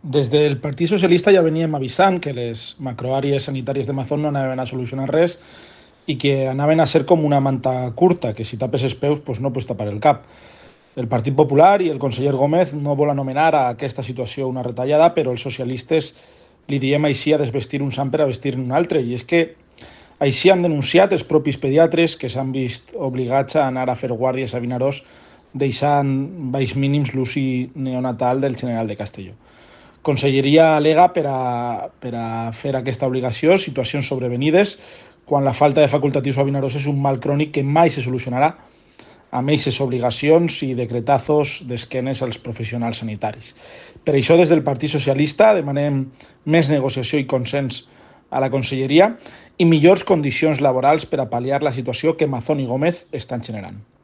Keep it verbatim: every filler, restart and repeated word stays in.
Des del Partit Socialista ja veníem avisant que les macroàrees sanitàries de Mazón no anaven a solucionar res i que anaven a ser com una manta curta, que si tapes els peus pues no pots tapar el cap. El Partit Popular i el conseller Gómez no vol anomenar a aquesta situació una retallada, però els socialistes li diem així a desvestir un sant per a vestir un altre. I és que així han denunciat els propis pediatres que s'han vist obligats a anar a fer guàrdies a Vinaròs deixant baix mínims l'uci neonatal del general de Castelló. Conselleria al·lega per a, per a fer aquesta obligació situacions sobrevenides quan la falta de facultatius a Vinaròs és un mal crònic que mai se solucionarà amb aquestes obligacions i decretazos d'esquenes als professionals sanitaris. Per això, des del Partit Socialista demanem més negociació i consens a la Conselleria i millors condicions laborals per a pal·liar la situació que Mazón i Gómez estan generant.